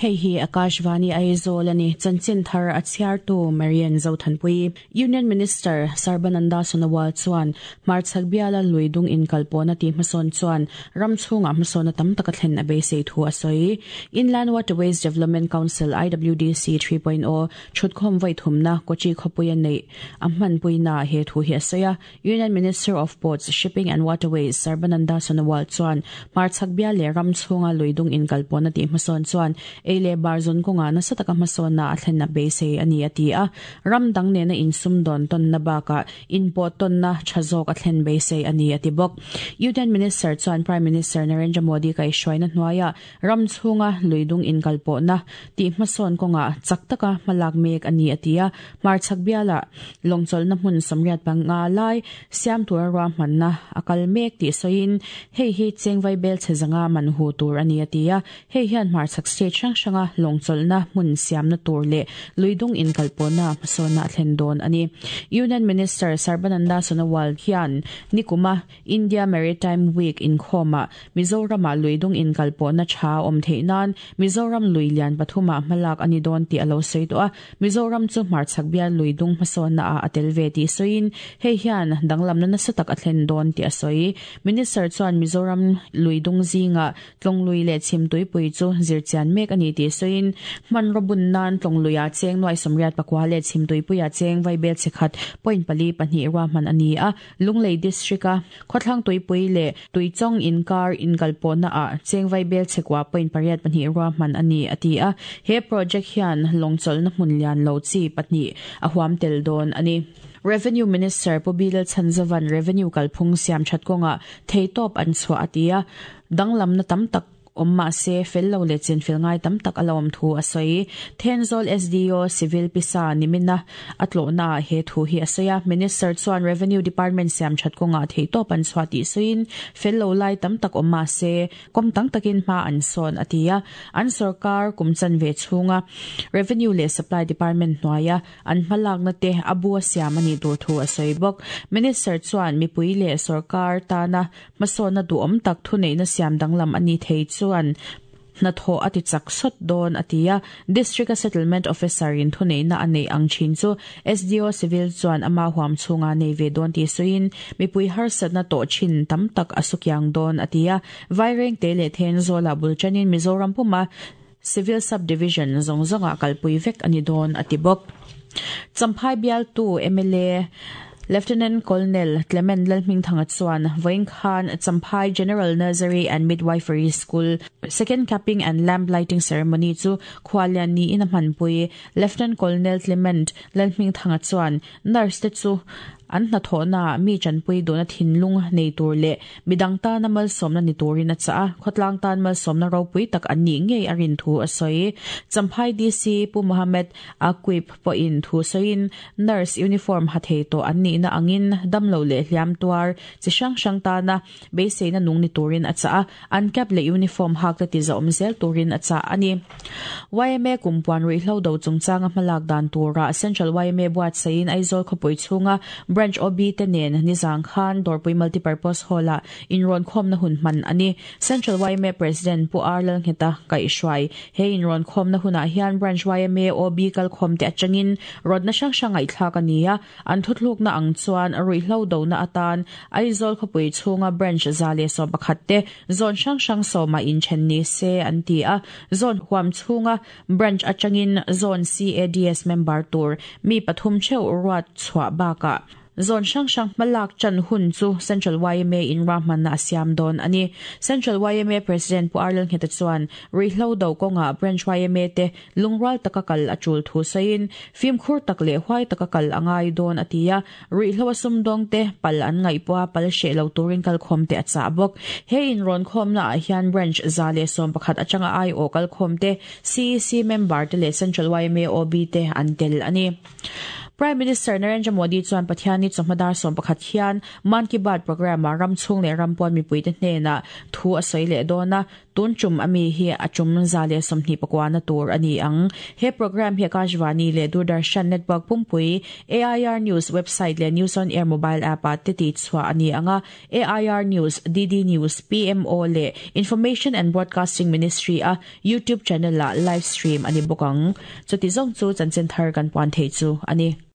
Hei hi Akashvani Aizawl a ni. Chanchin thar a chhiartu Marian Zothanpui. Union Minister Sarbananda Sonowal chuan hmarchhak biala lui dung inkalpawhna tih hmasawn chuan ram chhungah hmasawnna tam tak a thlen a beisei thu a sawi. Inland Waterways Development Council, IWDC, 3.0 thutkhawm vawi thumna Kochi khawpuia neih a hmanpuinaah he thu hi a sawi a. Union Minister of Ports, Shipping and Waterways Sarbananda Sonowal chuan hmarchhak bial leh ram chhunga lui dung inkalpawhna tih hmasawn chuan ei leh bar zawn kawngah nasa taka hmasawnna a thlen a beisei a ni a ti a. Ram dang nena insumdawn tawnna bakah inpawh tawnna tha zawk a thlen beisei a ni a ti bawk. Union Minister chuan Prime Minister Narendra Modi kaihhruaina hnuaiah Ram chhunga lui dung inkalpawhna tih hmasawn kawngah chak taka hmalak mek a ni a ti a. Hmarchhak bialah lawngchawlhna hmun 85 lai siam tura ruahmanna a kal mek tih sawiin hei hi chengvai bel chhe zanga man hu tur a ni a ti a. Hei hian hmarchhak state hrang hranga lawngchawlhna hmun siamna tur leh lui dung inkalpawhna hmasawnna a thlen dawn a ni. Union Minister Sarbananda Sonowal hian nikuma India Maritime Week inkhawmah Mizoramah lui dung inkalpawhna tha a awm theih nan Mizoram lui lian pathumah hmalak a ni dawn tih a lo sawi tawh a. Mizoram chu hmarchhak bial lui dung hmasawnna ah a tel ve tih sawiin hei hian danglamna nasa tak a thlen dawn tih a sawi. Minister chuan Mizoram lui dung zingah Tlawnglui leh Chhimtuipui chu zirchian mek a ni tih sawiin hmanraw bun nan Tlawnglui-ah cheng nuai 84 leh Chhimtuipuia cheng vaibel chhekhat point pali pahnih ruahman a ni a. Lunglei District-a khawthlang tuipui leh Tuichawng inkar inkalpawhna ah chengvai bel chhekua point pariat pahnih ruahman a ni, a ti a. He project hian lawngchawlhna hmun lian lo chi pahnih a huam tel dawn a ni. Revenue Minister Pu Bilal Chhanzovan revenue kalphung siam that kawngah theitawp an chhuah a ti a, danglamna tam tak Awm mah se, fel lo leh chinfel ngai tam tak a lo awm thu a sawi. Thenzawl SDO Civil Pisa nimina a tlawhnaah he thu hi a sawi a. Minister chuan Revenue Department siam that kawngah theihtawp an chhuah tih sawiin, fel lo lai tam tak awm mah se, kawm tang takin hma an sawn a ti a. An sorkar kum chanve chhunga Revenue leh Supply Department hnuaia An hmalakna te a bu a siam a nih tur thu a sawi bawk. Minister chuan mipui leh sorkar tana hmasawnna duhawm tak thuneihna siam danglam a ni thei chuan hnathawh a ti chak sawt dawn a ti a. District-a Settlement Officer-in thuneihna a neih ang thin chu SDO Civil chuan ama huam chhunga nei ve dawn tih sawiin mipui harsatna tawh thin tam tak a sukiang dawn a ti a. Vairengte leh Thenzawla bul tanin Mizoram puma Civil Sub-Division zawng zawngah kalpui vek a ni dawn a ti bawk. Champhai bialtu mla Lieutenant Colonel Clement Lalhmingthanga chuan vawiin khan Champhai General Nursery and Midwifery School Second Capping and Lamp Lighting Ceremony chu khualian niin a hmanpui. Lieutenant Colonel Clement Lalhmingthanga chuan Nurse te chu an hnathawhnaah mi tanpui duhna thinlung nei tur leh midang tana malsawmna ni turin a chah a, khawtlang tan malsawmna ropui tak an nih ngei a rin thu a sawi. Champhai DC Pu Mohammed Aqib pawhin thu sawiin nurse uniform ha thei tawh an nihna angin damlo leh hliam tuar chi hrang hrang tana Beiseina nung ni turin a chah a, an cap leh uniform hak te tizawm zel turin a chah a ni. Yma kumpuan ruihhlo do chungchanga hmalak dan turah Central yma buatsaihin Aizawl khawpui chhunga Branch OB te nen nizang khan Dawrpui Multipurpose Hall-ah inrawnkhawmna hun hman a ni. Central yma President Pu R Lalngheta kaihhruai he inrawnkhawmna hunah hian Branch yma OB kalkhawmte atangin rawtna hrang hrang ngaihthlak a ni a, An thuthlukna ang chuan ruihhlo dona atan Aizawl khawpui chhunga branch 111 te zone hrang hrang sawmah inthen ni se an ti a. Zone huam chhunga branch atangin zone CADS member tur mi pathum theuh ruat chhuah bakah zone hrang hrang hmalak tan hun chu Central yma in ruahmanna a siam dawn a ni. Central yma President Pu Arlal Ngheta chuan ruihhlo do kawngah branch yma te Lungrual taka kal a tul thu sawiin, fimkhur tak leh huai taka kal a ngai dawn a ti a, ruihhlo a sumdawng te pal an ngaih pawha pal hreh lo turin kalkhawm te a chah bawk. He inrawnkhawmna ah hian Branch 111 atanga aiawh kalkhawm te, CEC member te leh Central yma OB te an tel a ni. Prime Minister Narendra Modi chuan Pathianni chawhma dar 11 hian Mann Ki Baat programme-ah ram chhung leh ram pawn mipuite hnenah thu a sawi leh dawn a. Tun tum ami hi a tum 129 na tur ani ang. He program hi Akashvani leh Doordarshan network pumpui, AIR News website leh News on Air mobile app ah te tihchhuah a ni ang a. AIR News, DD News, PMO leh Information and Broadcasting Ministry a YouTube channel ah live stream a ni bawk ang. Chuti zawng chu chanchin thar kan puan thei chu a ni.